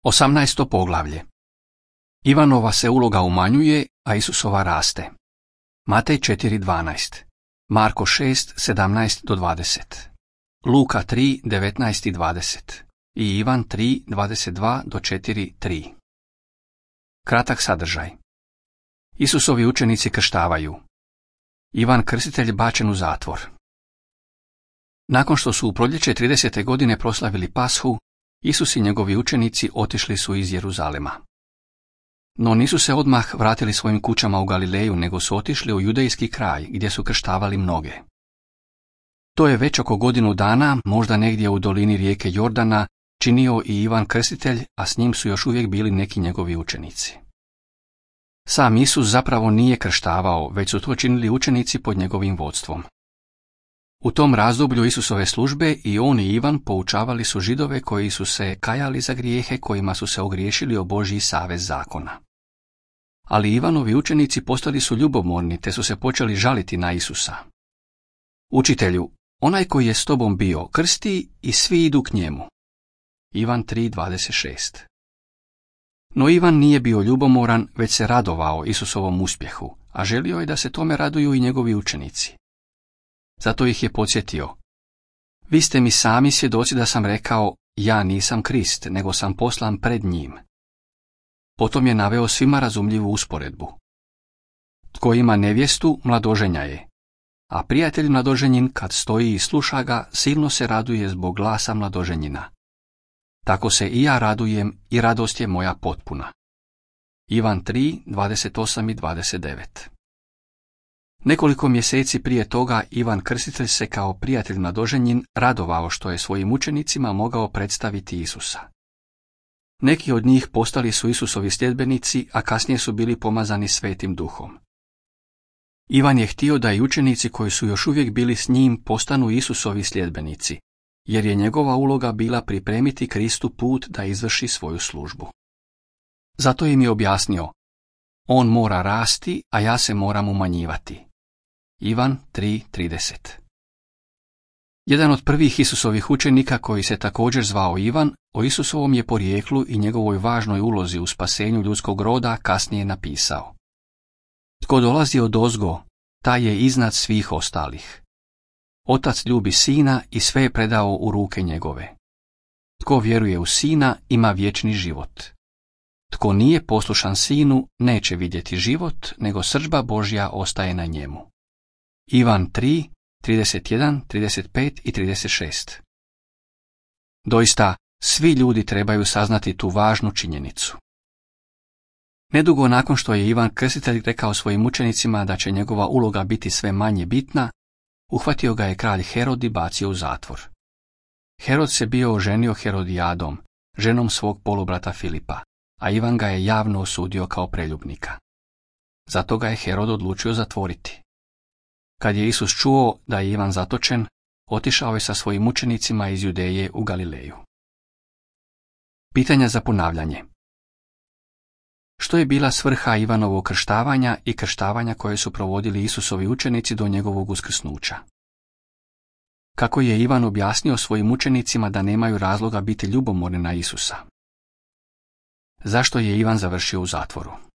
18. poglavlje. Ivanova se uloga umanjuje, a Isusova raste. Matej 4.12, Marko 6.17-20, Luka 3.19-20 i Ivan 3.22-4.3. Kratak sadržaj. Isusovi učenici krštavaju. Ivan Krstitelj bačen u zatvor. Nakon što su u proljeće 30. godine proslavili Pashu, Isus i njegovi učenici otišli su iz Jeruzalema. No nisu se odmah vratili svojim kućama u Galileju, nego su otišli u judejski kraj, gdje su krštavali mnoge. To je već oko godinu dana, možda negdje u dolini rijeke Jordana, činio i Ivan Krstitelj, a s njim su još uvijek bili neki njegovi učenici. Sam Isus zapravo nije krštavao, već su to činili učenici pod njegovim vodstvom. U tom razdoblju Isusove službe i on i Ivan poučavali su Židove koji su se kajali za grijehe kojima su se ogriješili o Božji savez zakona. Ali Ivanovi učenici postali su ljubomorni te su se počeli žaliti na Isusa. Učitelju, onaj koji je s tobom bio krsti i svi idu k njemu. Ivan 3.26. No Ivan nije bio ljubomoran, već se radovao Isusovom uspjehu, a želio je da se tome raduju i njegovi učenici. Zato ih je podsjetio. Vi ste mi sami svjedoci da sam rekao, ja nisam Krist, nego sam poslan pred njim. Potom je naveo svima razumljivu usporedbu. Tko ima nevjestu, mladoženja je, a prijatelj mladoženjin kad stoji i sluša ga, silno se raduje zbog glasa mladoženjina. Tako se i ja radujem i radost je moja potpuna. Ivan 3.28 i 29. Nekoliko mjeseci prije toga Ivan Krstitelj se kao prijatelj mladoženjin radovao što je svojim učenicima mogao predstaviti Isusa. Neki od njih postali su Isusovi sljedbenici, a kasnije su bili pomazani Svetim Duhom. Ivan je htio da i učenici koji su još uvijek bili s njim postanu Isusovi sljedbenici, jer je njegova uloga bila pripremiti Kristu put da izvrši svoju službu. Zato im je objasnio, on mora rasti, a ja se moram umanjivati. Ivan 3.30. Jedan od prvih Isusovih učenika koji se također zvao Ivan, o Isusovom je porijeklu i njegovoj važnoj ulozi u spasenju ljudskog roda kasnije napisao. Tko dolazi odozgo, taj je iznad svih ostalih. Otac ljubi sina i sve je predao u ruke njegove. Tko vjeruje u sina ima vječni život. Tko nije poslušan sinu neće vidjeti život, nego srdžba Božja ostaje na njemu. Ivan 3.31, 35 i 36. Doista, svi ljudi trebaju saznati tu važnu činjenicu. Nedugo nakon što je Ivan Krstitelj rekao svojim učenicima da će njegova uloga biti sve manje bitna, uhvatio ga je kralj Herod i bacio u zatvor. Herod se bio oženio Herodijadom, ženom svog polubrata Filipa, a Ivan ga je javno osudio kao preljubnika. Zato ga je Herod odlučio zatvoriti. Kad je Isus čuo da je Ivan zatočen, otišao je sa svojim učenicima iz Judeje u Galileju. Pitanja za ponavljanje. Što je bila svrha Ivanovog krštavanja i krštavanja koje su provodili Isusovi učenici do njegovog uskrsnuća? Kako je Ivan objasnio svojim učenicima da nemaju razloga biti ljubomorni na Isusa? Zašto je Ivan završio u zatvoru?